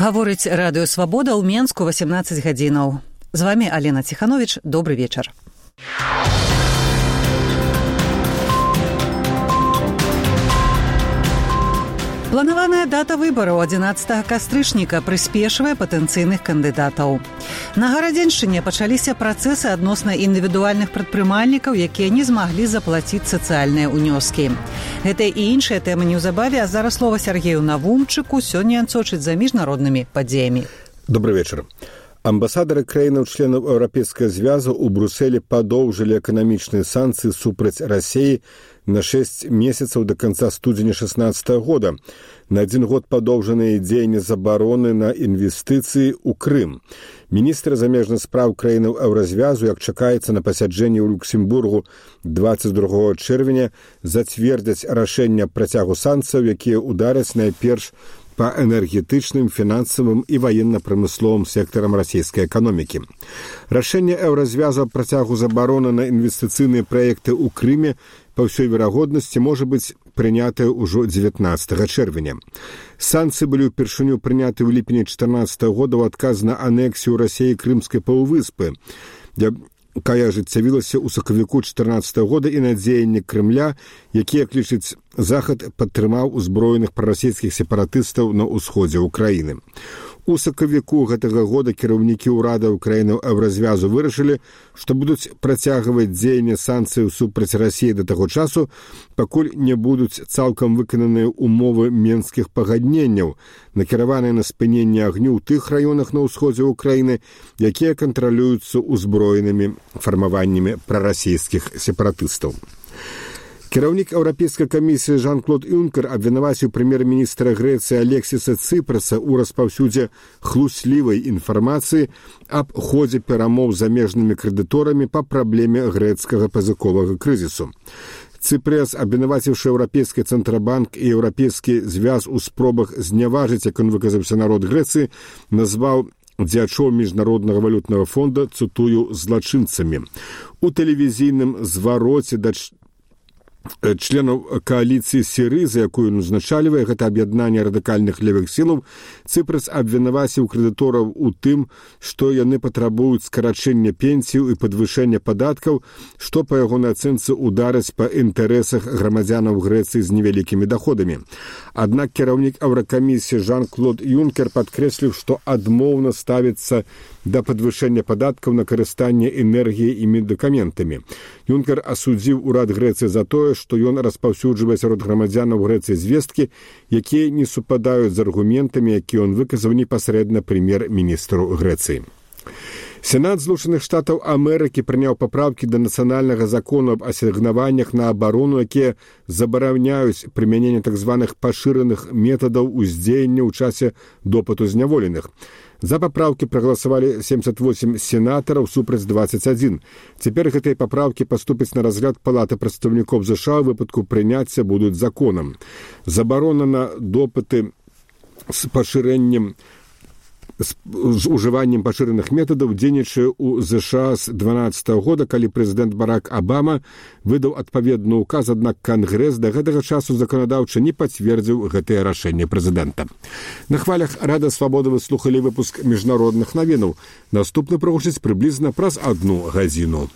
Гаворыць радыё «Свабода» ў Менску 18 гадзінаў. З вами Алена Ціханович. Добры вечар. Планаваная дата выбараў 11 кастрычніка прыспешвае патэнцыйных кандыдатаў. На Гарадзеншчыне пачаліся працэсы адносна індывідуальных прадпрымальнікаў, якія не змаглі заплаціць сацыяльныя ўнёскі. Гэта і іншыя тэмы неўзабаве, а зараз слова Сергею Навумчыку. Сёння ён сочыць за міжнароднымі падзеямі. Добрый вечар. Амбасадары краінаў-членаў Еўрапейскага звязу ў Брусэлі падоўжылі эканамічныя санкцыі супраць Расіі на 6 месяцаў да канца студзеня 2016 года. На 1 год падоўжаныя дзеянні забароны на інвестыцыі ў Крым. Міністры замежных спраў краінаў Еўразвязу, як чакаецца на пасяджэнні ў Люксембургу 22 чэрвеня, зацвердзяць рашэнне працягу санкцыяў, якія удараць найперш па энергетычным, фінансавым і ваенна-прамысловым сектарам расійскай эканомікі. Рашэнне Еўразвязу аб працягу забароны на інвестыцыйныя праекты ў Крыме па ўсёй верагоднасці можа быць прынятае ўжо 19 чэрвеня. Санкцыі былі ўпершыню прыняты ў ліпені 2014 года ў адказ на анексію Расіі крымскай паўвыспы, якая ажыццявілася ў сакавіку 2014 года, і на дзеянні Крымля, якія, як лічыць Захад, падтрымаў узброеных прарасійскіх сепаратыстаў на ўсходзе ўкраіны. У сакавіку гэтага года кіраўнікі ўрадаў краінаў Еўразвязу вырашылі, што будуць працягваць дзеянне санкцыяў супраць Расіі да таго часу, пакуль не будуць цалкам выкананыя ўмовы менскіх пагадненняў, накіраваныя на спыненне агню ў тых раёнах на ўсходзе ўкраіны, якія кантралююцца ўзброенымі фармаваннямі прарасійскіх сепаратыстаў. Кіраўнік Еўрапейскай камісіі Жан-Клод Юнкер абвінаваціў прэм'ер-міністра Грэцыі Алексіса Цыпраса ў распаўсюдзе хлуслівай інфармацыі аб ходзе перамоў з замежнымі крэдыторамі па праблеме грэцкага пазыковага крызісу. Цыпрас, абвінаваціўшы Еўрапейскі цэнтрабанк і Еўрапейскі звяз у спробах зняважыць, як ён выказаўся, народ Грэцыі, назваў дзячоў міжнароднага валютнага фонда, цытую, злачынцамі. У тэлевізійным звароце да членаў кааліцыі Сірызы, якую ён узначальвае, гэта аб'яднанне радыкальных левых сілаў, Цыпрас абвінаваціў крэдытораў у тым, што яны патрабуюць скарачэння пенсіяў і падвышэння падаткаў, што па ягонай ацэнцы ударыць па інтарэсах грамадзянаў Грэцыі з невялікімі доходамі. Аднак кіраўнік Еўракамісіі Жан-Клод Юнкер падкрэсліў, што адмоўна ставіцца да падвышэння падаткаў на карыстанне энергіяй і медыкаментамі. Юнкер асудзіў урад Грэцыі за тое, што ён распаўсюджвае сярод грамадзянаў Грэцыі звесткі, якія не супадаюць з аргументамі, якія ён выказаў непасрэдна прэм'ер-міністру Грэцыі. Сенат Злучаных Штатаў Амерыкі прыняў папраўкі да нацыянальнага закону аб асігнаваннях на абарону, якія забараняюць прымяненне так званых пашыраных метадаў уздзеяння ў часе допыту зняволеных. За папраўкі прагаласавалі 78 сенатараў супраць 21. Цяпер гэтыя папраўкі паступяць на разгляд Палаты прадстаўнікоў ЗША, у выпадку прыняцця будуць законам. Забарона на допыты з пашырэннем з ужываннем пашыраных метадаў дзейнічае ў ЗША з 2012 года, калі прэзідэнт Барак Абама выдаў адпаведны ўказ, аднак Кангрэс да гэтага часу заканадаўча не пацвердзіў гэтае рашэнне прэзідэнта. На хвалях Радыё Свабода вы слухалі выпуск міжнародных навінаў. Наступны прагучыць прыблізна праз 1 гадзіну.